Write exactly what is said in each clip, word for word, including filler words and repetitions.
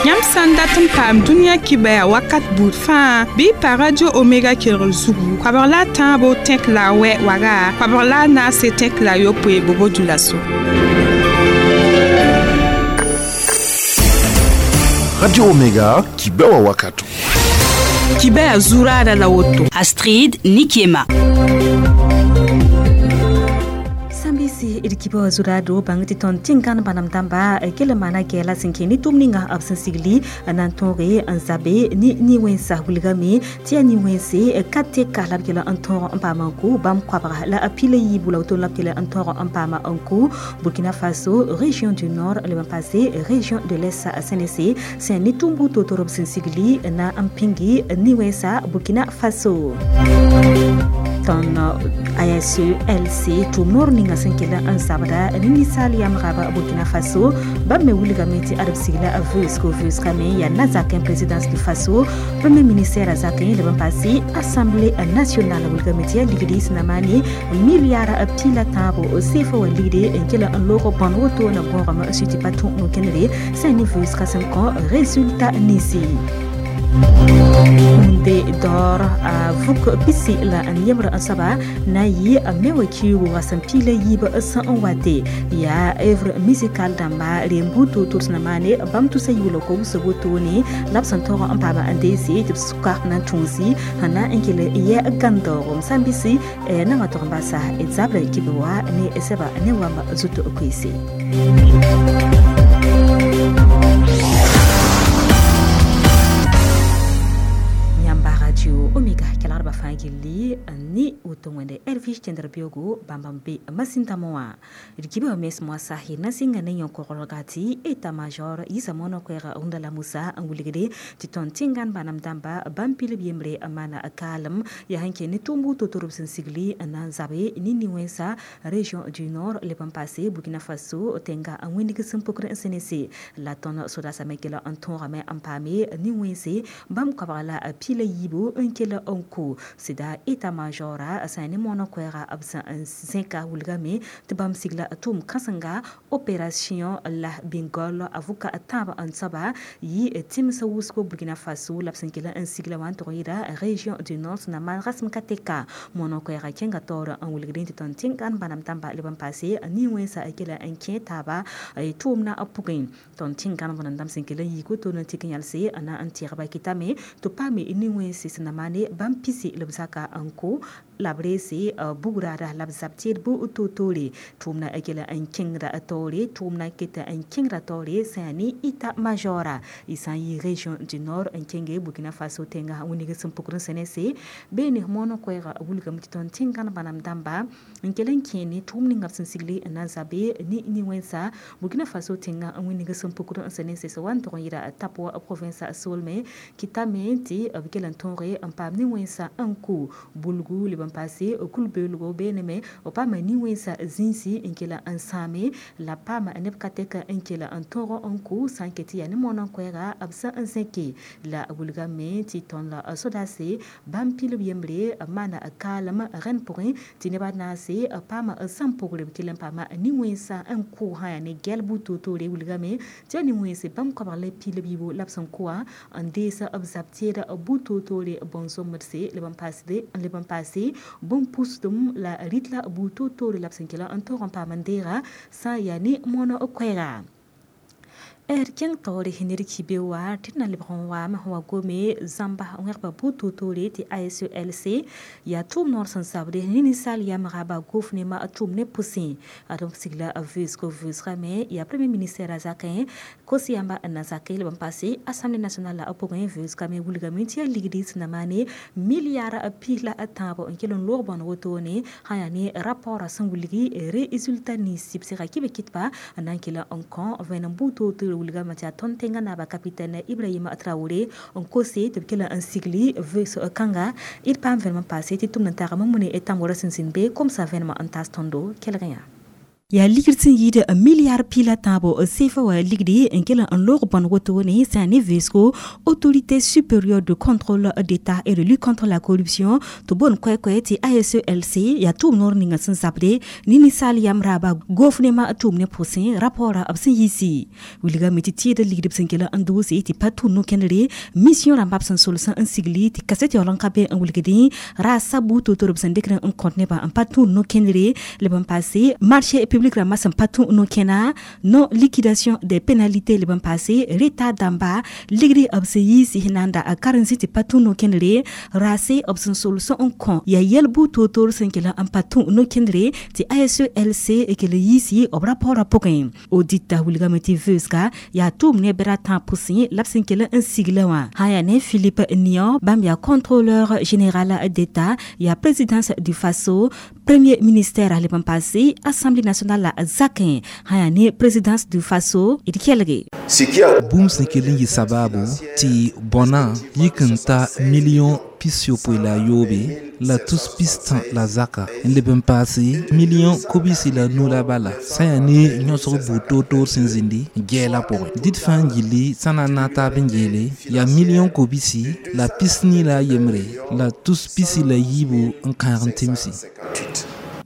Yãmb sã n dat n paam dũniyã kibaya wakat buud fãa bɩ y pa Radio Omega kelgr zugu koabg la a tãabo tẽk la a wɛ waga koabg la a naase tẽk la a yopoe bobo dulaso. Radio Omega kibewa wakato. Kibaya zurada la woto. Astrid Nikiema. Sambisi irkibo zurado bang ti ton tingan banam damba kele mana kela sinke ni tumninga absen sigli nan tore anzabe ni ni wensa wulgame ti ni wense kate kalab kela antor ampama ko bam kwabra la apile yibula to la kela antor ampama anko Burkina Faso région du Nord le passé région de l'Est C N C c'est ni tumbu to torob sigli na ampingi ni wensa Burkina Faso ton A S E L C tumor ninga senkela an sabda ni sali am raba Burkina Faso ba me wulga meti arab sigla a veus ko veus kame ya nazakin présidence du Faso premier ministère azakin le ban passé assemblée nationale wulga meti ligdi sinamani milliard pila tabo sefo ligdi enkela an loro bon woto na bon suti patou no kenre c'est ni veus kasem ko résultat nisi Munde dor a vuk pisi la an yemra asaba na yi a mewa kiwo wasan pila yi ba asan an wate ya evre musical damba rembuto tursna mane bam tu sa yulo ko so goto ne lapsan toro an paba an desi tip suka na tunsi hana enkele ye gandoro msambisi na matoramba sa ezable kibiwa ne eseba ne wamba zuto okwisi Omega kelarba fangili ni utongwende Elvis Tendrbiogo bambambe masintamoa rikibe mes moasa hina singa ne yonkorogati état major yisamono kwera undala musa anguligede titon tingan banam damba bampile biemre amana kalam ya hanke ni tumbu totorob sensigli na zabe ni niwensa région du Nord le pampase Burkina Faso tenga angwindi simpokre N C N C la ton soda samekela anton rame ampame niwense bam kabala pile yibo nkela onko sida état major sani mono kwera absa zinka wulgame tibam sigla atum kasanga opération la bingol avuka ataba ansaba yi timsa wusko Burkina Faso lapsinkela en sigla wan toira région du Nord na man rasm kateka mono kwera kenga tor an wulgrin titon tinkan banam tamba liban passé ni wensa akela enke taba tumna apugin ton tinkan banam dam sinkela yi ko to na tikinyalse ana antirba kitame to pame ni wense sinamane bampisi lebzaka anko labrese bugrada labzaptir bu totore tumna akela an kingra atore tumna kita an kingra tore sani ita majora isan yi région du Nord an kenge Burkina Faso tenga wuniga simpukrun senese bene mono kwera wulga mutiton tingan banam damba nkelen kene tumni ngapsin sigli na zabe ni ni wensa Burkina Faso tenga wuniga simpukrun senese so wan toron yira tapwa province solme kitame ti abikelan tonre ampam ni wensa anko bulgu liban passé kulbelgo beneme o pama ni wensa zinsi nkela ansame la pama nebkateka nkela antoro anko sanketi ya ni monon kwera absa anseke la wulga me ti ton la sodase bampil biembre mana kalama ren porin ti ne banase pama sampogre kelen pama ni wensa anko ha ne gelbu toto re wulga me ti ni wense bam ko le pile bibo lapsan kwa andesa abzaptera buto le bonso merse le ban passé le ban passé bon pustum la ritla buto to le lapsan kela antoran pa mandera sa yani mono okwera Er keng tore hinir kibe wa tina libron wa ma wa gome zamba ngerba buto tore ti A S E L C ya tum nor san sabre ni sal ya maraba gofne ma tum ne poussin adom sigla avus ko vus rame ya premier ministre azakin kosi yamba nazake le ban passé assemblée nationale la oporin vus kame wulga minti ligdi sinamane milliard pila atabo nkelon lorbon wotone hayani rapport sanguligi résultat ni sipsira kibe kitpa nankela onkon venan buto wulga matia tontenga na ba capitaine Ibrahima Traoré on kose te kela un sigli veut kanga il pas vraiment passé ti tumna tara mamune etam wora sinsin be comme ça vraiment en tas tondo quel rien. Yaa ligd sẽn yɩɩd milliard pii la tãabo C F A wa ligdi n kell n loog bõn woto ne sã ne vɩɩsgo Autorité supérieure de contrôle d'État et de lutte contre la corruption tɩ boon koɛ-koɛ tɩ A S E L C yaa tʋʋm noor ninga sẽn zabde ne ninsaal yam raaba gofnema tʋʋm ne pʋsẽ rapport b sẽn yiisi wilgame tɩ tɩɩd ligd b sẽn kell n doose tɩ pa tʋ no-kẽndre mission rãmba b sẽn sols n sigli tɩ kaset yaool n ka be n wilgdẽ ra sabu to-to b sẽn dɩkd n kõt nebã n pa tũ no-kẽndre leb n paase marché public rãmbã sẽn pa tũ no-kẽna non liquidation des pénalités leb n paase retard dãmba ligdi b sẽn yiisi na n da karen-zĩ tɩ pa tũ no-kẽndre raase b sẽn sols n kõ yaa yɛl-bu toor-toor sẽn kell n pa tũ no-kẽndre tɩ A S E L C kell yiisi b rapport pʋgẽ audit wilgame tɩ V E S C yaa tʋʋm ne bɛra tãab pʋsẽ la b sẽn kell n sigla wã sã yaa ne Philippe Nian bãmb yaa contrôleur général d'État yaa présidence du Faso premier ministère leb n paase Assemblée nationale la zakẽ sã yaa ne présidence du Faso d kelge. Bũmb sẽn kell n yɩ sababu tɩ bõna yik n ta million pis-yopoe la a yoobe la tus pis-tã la zaka n leb n paase million kobisi la nu la bala sã yaa ne yõsg buud toor-toor sẽn zĩndi gɛɛla pʋgẽ dɩd fãa n gilli sã na n naag taab n geele yaa million kobisi la pis-nii la a yembre la tus pisi la yiibu n kãag n tɩmsi.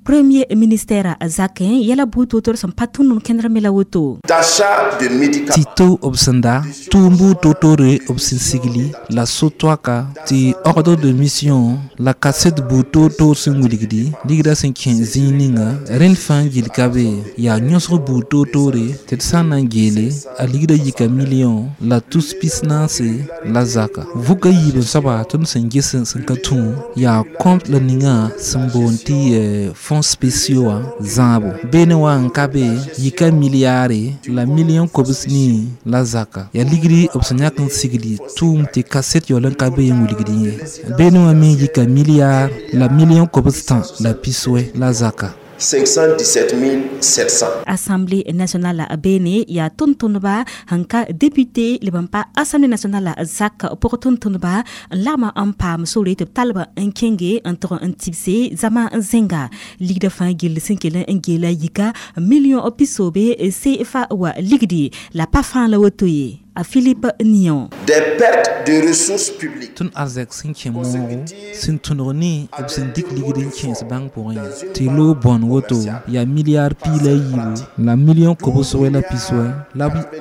Premier ministère zakẽ yɛla buud toor-toor sẽn pa tũud kẽndr me la woto. Tɩ to b sẽn da tʋʋm buud toor-toore b sẽn sigli la so-toaka tɩ ordre de mission la kaset buud toor-toor sẽn wilgdi ligdã sẽn kẽ zĩig ninga rẽnd fãa gill ka be yaa yõsg buud toor-toore tɩ d sã n na n geele a ligdã yika million la tus pis-naase la zaka vʋka yiib n soaba tõnd sẽn ges sẽn ka tũ yaa compte la ninga sẽn boond tɩ fonds spéciaux wã zãabo beene wã n ka be yika milliare la million kobs nii la zaka yaa ligdi b sẽn yãk n sigli tʋʋm tɩ kaset yaool n ka be n wilgdẽ ye beene wã me yika milliard la million kobs tã la piswɛ la zaka. cinq cent dix-sept mille sept cents. Assemblée nationale bene yaa tʋm-tʋmdba sẽn ka député leb n pa Assemblée nationale zak pʋg tʋm-tʋmdba n lagma n paam sore tɩ b talba n kẽnge n tʋg n tibse zama n zẽnga ligdã fãa gill sẽn kell n geela yika million pisoobe C F A wa ligdi la pa fãa la woto ye a Philippe Nion. Des pertes de ressources publiques. Tõnd arzɛk sẽn kẽ moogo sẽn tõdg ne b sẽn dɩk ligd n kẽes bãng pʋgẽ tɩ loog bõn woto yaa milliard pii la yiibu la million kobsg la piswɛ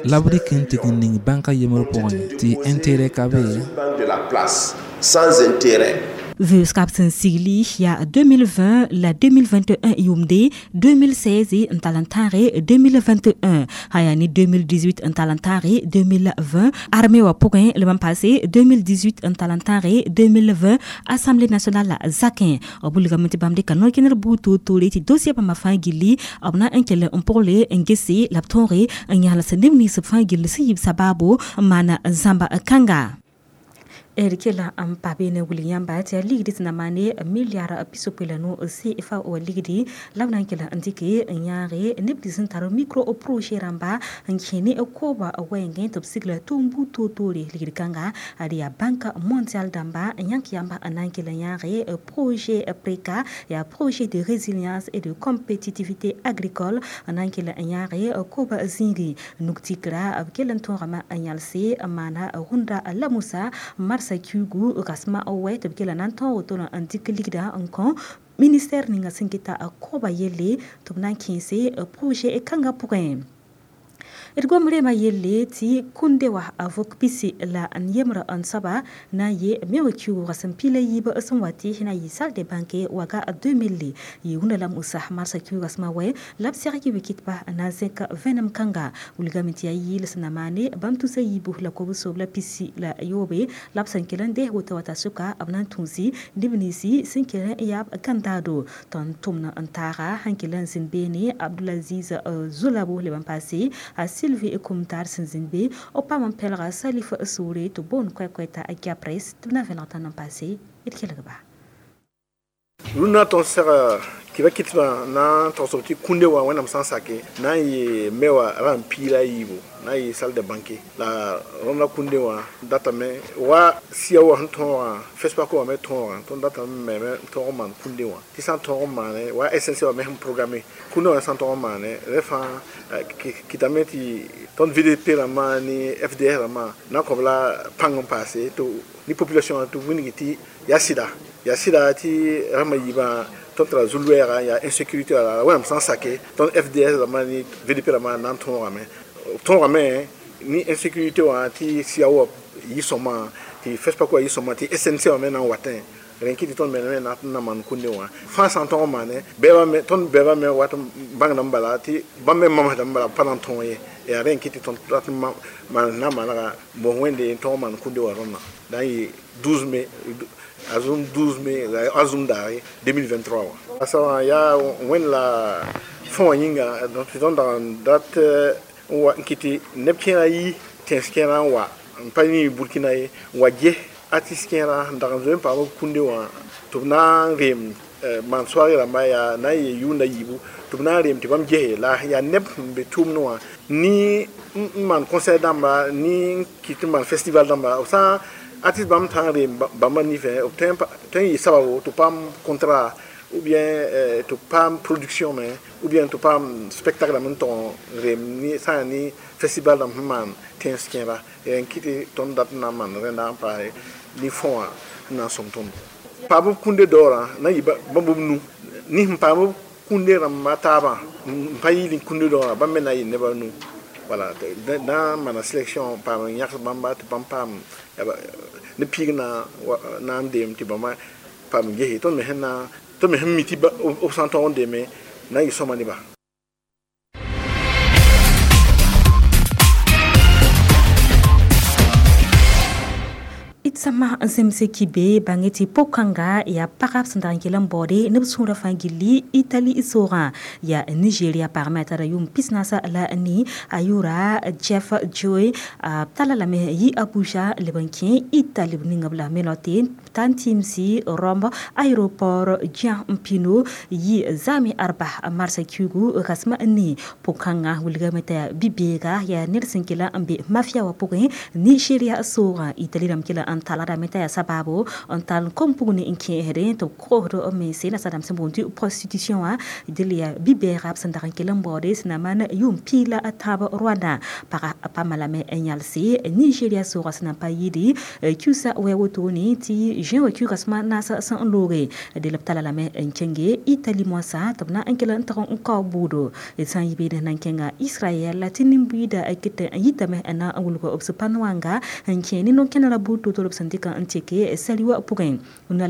la b rɩk n tɩg n ning bãnka yembr pʋgẽ tɩ intérêt ka be. De la place sans intérêt. V E S C sẽn sigli yaa deux mille vingt la deux mille vingt et un yʋʋmde deux mille seize n tall n tãage deux mille vingt et un sã yaa ne deux mille dix-huit n tall n tãage deux mille vingt armée wã pʋgẽ leb n paase deux mille dix-huit n tall n tãage deux mille vingt Assemblée nationale la zakẽ b wilgame tɩ bãmb dɩka no-kẽndr buud toor-toore tɩ dossier bãmba fãa gilli b na n kell n pʋgle n gese la b tõoge n yãls neb nins b fãa gill sẽn yɩ b sabaabo n maana zãmba kãnga d kela n pa beene wilg yãmba tɩ yaa ligd tɩ na maane milliard pisopoe la no C F A wa ligdi la b na n kell n dɩke n yãage neb nins sẽn tar micro projet rãmba n kẽ ne kooba wɛɛngẽ tɩ b sigla tʋʋm buud toor-toore ligd kãnga ad yaa Banque mondiale dãmba n yãk yãmba n na n kell n yãage projet PRECA yaa projet de résilience et de compétitivité agricole n na n kell n yãage kooba zĩigẽ nug-tikra b kell n tõogame n yãlse n maana rũndã la musa marsa kiugu rasma wɛ tɩ b kell na n tõog woto n dɩk ligdã n kõ ministère ninga sẽn keta koobã yelle tɩ b na n kẽese projet kãngã pʋgẽ d gom rema yelle tɩ kũnde wa a vʋk pisi la n yembrã n soaba na n ye me wa kiuugã sẽn pila yiib sẽn wa tɩ na yɩ salle de banque waga deux mille yɩ wũnda la musa marsã kiuugã sẽma wɛ la b sɛg yɩ wikɩtba na n zẽk vẽenem kãnga wilgame tɩ yaa yɩɩl sẽn na maane bãmb tusa yiibu la kobs-soob la pisi la yoobe la b sẽn kell n dees woto wa ta sʋka b na n tũusi neb ninsi sẽn kell n yaab gãndaado tõnd tʋmd n taaga sẽn kell n zĩnd beene Abdulaziz Zulabo leb n paase a Sylvie Kumtar sẽn zĩnd be b paam n pɛlga Salif Soore tɩ boond koɛ-koɛ t'a Gyapres tɩ b na vẽlg tã n paase d kelgba. Rũndã tõnd sega tɩ ba kɩtbã na n togsb tɩ kũnde wã wẽnnaam sã n sake na n yɩ me wã ra n piig la a yiibu na n yɩ salle de banquet la rõnda kũnde wã datame wa sia wã sẽn tõogã FESPACO wã me tõogã tõnd datame meme n tõog n maan kũnde wã tɩ sã n tõog n maane wa S N C wã me sẽn programme kũnde wã sã n tõog n maane rẽ fãa kɩtame tɩ tõnd V D P rãmbã ne F D S rãmbã na n kõ b la pãng n paase tɩ ni population tɩ wilgi tɩ yaa sɩda yaa sɩda tɩ rãmbã yiibã tõnd tara zu-loɛɛga yaa insécurité wala wẽnnaam sã n sake tõnd F D S rãmbã ne V D P rãmbã na n tõogame tõogame ni insécurité wã tɩ sia wã yɩ sõma tɩ FESPACO wã yɩ sõma tɩ S N C wã me na n watẽ rẽ kɩ tɩ tõnd me na n na maan kũnde wã fãa sã n tõg n maane bɛɛbã me tõnd bɛɛbã me wat n bãngdame bala tɩ bãmb me mamsdame bala b pa na n tõog ye yaa rẽ n kɩ tɩ tõnd rat n maan na n manega mos wẽnde n tõg n maan kũnde wã rõndã na n yɩ douze mai azum douze mai azum daare deux mille vingt-trois wã sa wã yaa wẽnd la fõ wã yĩnga tɩ tõnd dag n dat n wa n kɩ tɩ neb kẽerã yi tẽns kẽerã n wa n pa yĩ Burkina ye n wa ges artiste kẽerã n dag n zoe n paam b kũnde wã tɩ b na n reem maan soaag rãmba yaa na n yee yʋʋnda yiibu tɩ b na n reem tɩ bãmb gese la yaa neb sẽn be tʋʋmdẽ wã ni n maan concert dãmba ni n kɩt n maan festival dãmba b sã artiste bãmb tã n reem bãmba nifẽ b tõe n yɩ sababo tɩ paam contrat ou bien tɩ paam production me ou bien tɩ paam spectacle dãmb n tog n reem ni sã n yaa ni festival dãmb sẽn maan tẽns kẽera n kɩ tɩ tõnd dat n na n maan rẽnda n paase ni fõ wã n na n sõm tõndo paam b kũnde daoorã na n yɩ bãmb b nu ni sẽn paam b kũnde rãmba taabã n pa yɩɩl kũnde daoorã bãmb me na n yɩ nebã nu wala na n maana sélection paam n yãgs bãmba tɩ bãmb paam ne piig na na n deem tɩ bãmba paam n gese tõnd me sẽn na tõnd me sẽn mi tɩ b sã n tõog n deeme na n yɩ sõma nebã. Sama n zemse kibe bãnge tɩ po-kãnga yaa pagb sẽn dag n kell n baoode neb sũurã fãa gilli Itali soogã yaa Nigeria pagmẽ a tara yʋʋm pis-naasa la ni a yʋʋra Jeff Joy b tala lame yi Abuja leb n kẽ Itali b ninga b la me tɩ ta n tɩɩmsi Rome aéroport Ciampino yi zame arba marsa kiugu rasma n ni po-kãngã wilgame t'a yaa bi-beega yaa ned sẽn kell n be mafia wã pʋgẽ Nigeria soogã Itali rãmb kell n taladame t'a yaa sabaabo n tall kom pʋg ne n kẽesdẽ tɩ b koosd b mense nasadãmb sẽn boond tɩ prostitution wã dɩl yaa bi-bɛɛga b sẽn dag n kell n baoode sẽn na maan yʋʋm piig la a tãab Rwanda pagã paama lame n yãlse Nigeria soogã sẽn na n pa yɩɩde kiusa wɛ wotone tɩ juin wã kiuga sẽma naas sẽn n looge dɩl b tala lame n kẽnge Itali moasã tɩ b na n kell n tag n kao buudo d sã n yɩ beene na n kẽnga Israɛl tɩ nin-buiida kɩt n yitame n na n wilg b sẽn wanga n kẽ ne no-kẽnerã buud to-to b sẽn dɩk n teke sali wã pʋgẽ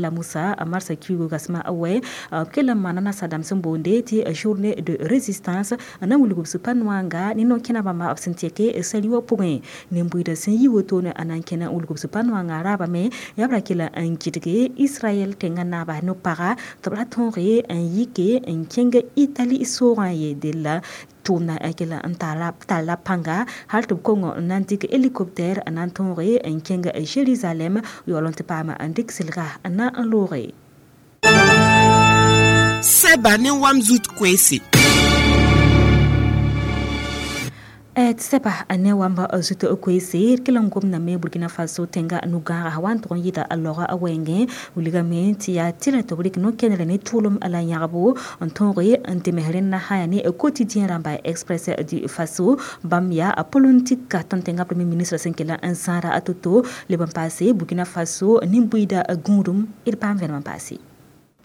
la Musa marsa kiugu gasma wɛ b kell n maana nasadãmb sẽn boonde tɩ journée de résistance n na n wilg b sẽn wanga ne no-kẽna bãmba b sẽn teke sali wã pʋgẽ nin-buiidã sẽn yi wotone a na n kẽna n wilg b sẽn wanga raabame yaa b ra kell n gɩdge Israɛl tẽngã naaba no-paga tɩ b ra tõoge n yike n kẽng Itali soogã ye della tʋʋmda kell n talla pãnga hal tɩ b kong n na n dɩk hélicoptère n na n tõoge n kẽng Jérusalem yaool n tɩ paam n dɩk sɩlga n na n looge. Sɛba ne wam zut koeese. Tɩ sɛba ne wamba zut koeese kell n gomdame Burkina Faso tẽnga no-gãaga wa n tʋg n yɩɩda a laoga a wɛɛngẽ wilgame tɩ yaa tɩrɛ tɩ b rɩk no-kẽnere ne tʋʋlem la yãgbo n tõoge n tems rẽnna sã yaa ne quotidien rãmba Express du Faso bãmb yaa a politique tõnd tẽngã premier ministre sẽn kell n zãada a to-to leb n paase Burkina Faso nin-buiida gũudum d paam vẽnem n paase.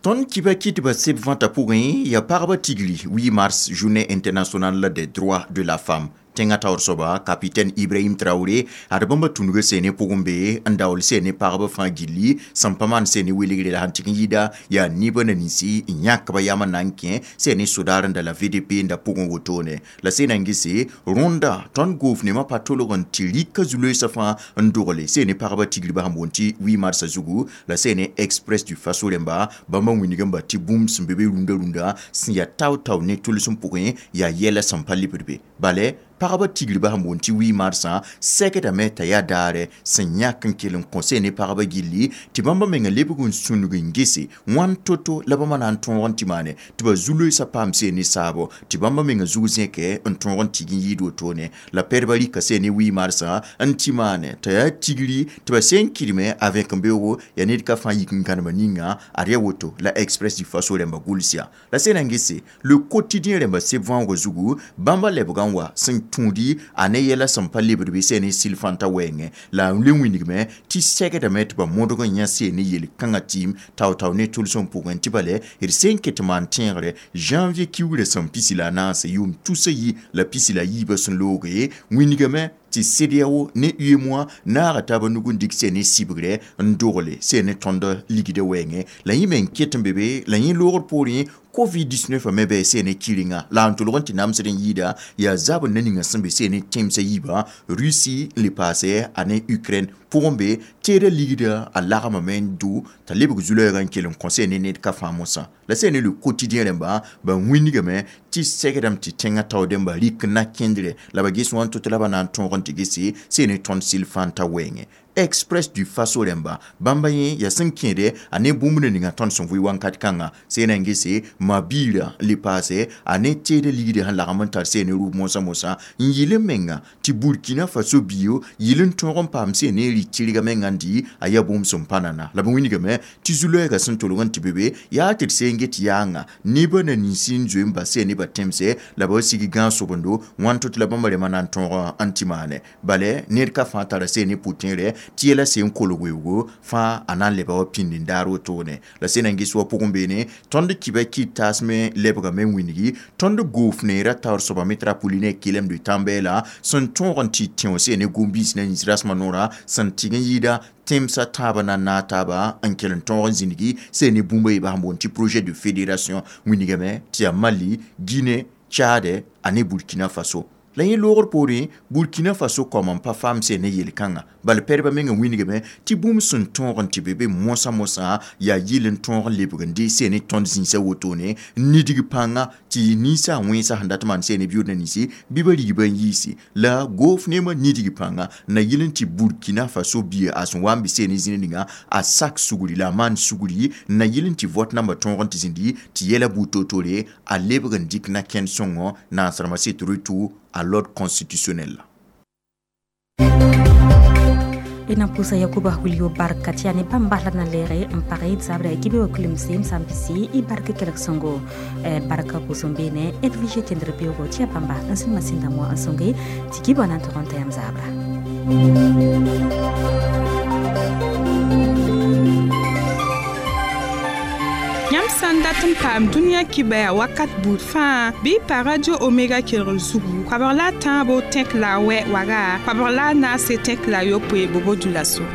Tõnd kiba kɩtbã seb vãta pʋgẽ yaa pagba tigri huit mars, journée internationale des droits de la femme tẽngã taoor soaba capitaine Ibrahim Traoré ad bãmba tũnugã seene pʋgẽ be n daool seene pagba fãa gilli sẽn pa maan seene welgre la sẽn tɩg n yɩɩda yaa nibã na ninsi n yãkba yam n na n kẽ seene sodaar n da la V D P n da pʋgẽ wotone la seena n gese rõnda tõnd gouvernement pa tolg n tɩ rɩka zu-loeesã fãa n dogle seene pagba tigribã sẽn boond tɩ huit mars zugu la seene Express du Faso rẽmba bãmba wĩnigã tɩ bũmb sẽn be be rũndã rũndã sẽn yaa tao-tao ne tʋlsem pʋgẽ yaa yɛla sẽn pa lebd be bale. pagba tigribã sẽn boond tɩ huit marsã sɛkdame t'a yaa daare sẽn yãk n kell n kõ sẽn ne pagba gilli tɩ bãmba menga lebg n sũnug n gese wãn to-to la bãmba na n tõog n tɩ maane tɩ ba zu-loeesã paam seen ne saabo tɩ bãmba menga zug zẽke n tõog n tig n yɩɩd wotone la pɛdba rɩka seen ne huit marsã n tɩ maane t'a yaa tigri tɩ ba sẽn kɩdme a vẽk-n-beoogo yaa ned ka fãa yik n gãnema ninga ad yaa woto la Express du Faso rẽmba gʋls yaa la sẽn na n gese Le Quotidien rẽmba seb võoogã zugu bãmba lebgã n wa sẽn tũudi a ne yɛla sẽn pa lebd bɩ sẽn ne sɩl fãnta wɛɛngẽ la n le wĩnigme tɩ sɛgdame tɩ ba modg n yã seen ne yel-kãngã tɩɩm tao-tao ne tʋlsem pʋgẽ tɩ bale d sẽn ket maan tẽegre janvier kiugrã sẽn pisi la a naase yʋʋm tusa yi la pisi la yiibã sẽn looge wĩnigame tɩ CEDEAO ne UEMOA naaga taaba nug n dɩk sẽn ne sɩbgre n dogle sẽn ne tõnd ligdã wɛɛngẽ la yẽ me n ket n be be la yẽ loogr poorẽ covid dix-neuf me bɩ sẽn ne kɩrenga la n tʋlg n tɩ namsd n yɩɩda yaa zabr na ninga sẽn be sẽn ne tẽmsã yiibã Russie n le paase a ne Ukraine pʋgẽ be teeda ligda a lagmame n dʋ t'a lebg zu-loɛɛgã n kell n kõ sẽn ne ned ka fãa mosã la sẽn ne Le Quotidien rẽmba ba wĩnigame tɩ sɛgdame tɩ tẽngã taoodẽmba rɩk na kẽndre la ba ges wãn to-to la ba na n tõog n tɩ gese sẽn ne tõnd sɩl fãa n ta wɛɛngẽ. Express du Faso rẽmba bãmba yẽ yaa sẽn kẽede a ne bũmb na ninga tõnd sẽn vʋɩ wãnkat kãnga sẽn na n gese ma-biirã le paase a ne teeda ligdã sẽn lagm n tar sẽn ne rʋʋb mosã mosã n yɩl n menga tɩ Burkina Faso biyo yɩl n tõog n paam sẽn ne rɩ tɩrga menga n dɩ a yaa bũmb sẽn pa nana la b wĩnigame tɩ zu-loɛɛgã sẽn tolg n tɩ be be yaa tɩ d seen get yaanga nebã na ninsi n zoe n bas sẽn ne ba tẽmse la ba sig gãag sobendo wãn to tɩ la bãmba rẽmã na n tõog n tɩ maane bale ned ka fãa tara sẽn ne pʋ-tẽerɛ tɩ yɛla sẽn kolg weoogo fãa a na n leba wa pĩnd n daar wotone la sẽn na n ges wa pʋgẽ beene tõnd kɩba kɩt taasme lebgame n wĩngi tõnd goof neerã taoor soaba metropoline kelem de tãn-bɛɛla sẽn tõog n tɩ tẽo sẽn ne gom-biis na yĩs rasmã noorã sẽn tɩg n yɩɩda tẽmsã tãabã na n naag taaba n kell n tõog n zĩnigi sẽn ne bũmb a yeebã sẽn boond tɩ projet de fédération wĩnigame tɩ yaa Mali, Guinée, Tchad ane Burkina Faso la yẽ loogr poorẽ Burkina Faso kaoom n pa faam sẽn ne yel-kãnga bala pɛdbã menga wĩnigame tɩ bũmb sẽn tõog n tɩ be be mosã mosã yaa yɩl n tõog n lebg n dee sẽn ne tõnd zĩisã wotone n nidg pãnga tɩ ninsã wẽnsã sẽn dat maan sẽn ne biʋʋd na ninsi bɩ ba rigba n yiisi la goof neemã nidg pãnga na yɩl n tɩ Burkina Faso bia a sẽn wa n be sẽn ne zĩna ninga a sak sugri la a maan sugri na yɩl n tɩ vote nambã tõog n tɩ zĩndi tɩ yɛla buud to-tore a lebg n dɩk na kẽnd sõngo naasrãmbã set retour à l'ordre constitutionnel. Ina pusa Yakuba Julio barka tɩ yaa ne bãmb basla na lɛɛge n pag d zabra kibe wa kulemse m sã n pisi y bark kelg sõngo barka pʋsẽ beene Edwige tẽndr beoogo tɩ yaa bãmba n sẽn masẽnda moa n sõnge tɩ kibã na n tog n ta yãmb zabra. Yãmb sã n dat n paam dũniyã kibaya wakat buud fãa bɩ pa Radio Omega kelgr zugu koabg la a tãabo tẽk la a wɛ waga koabg la a naase tẽk la a yopoe bobo dulaso.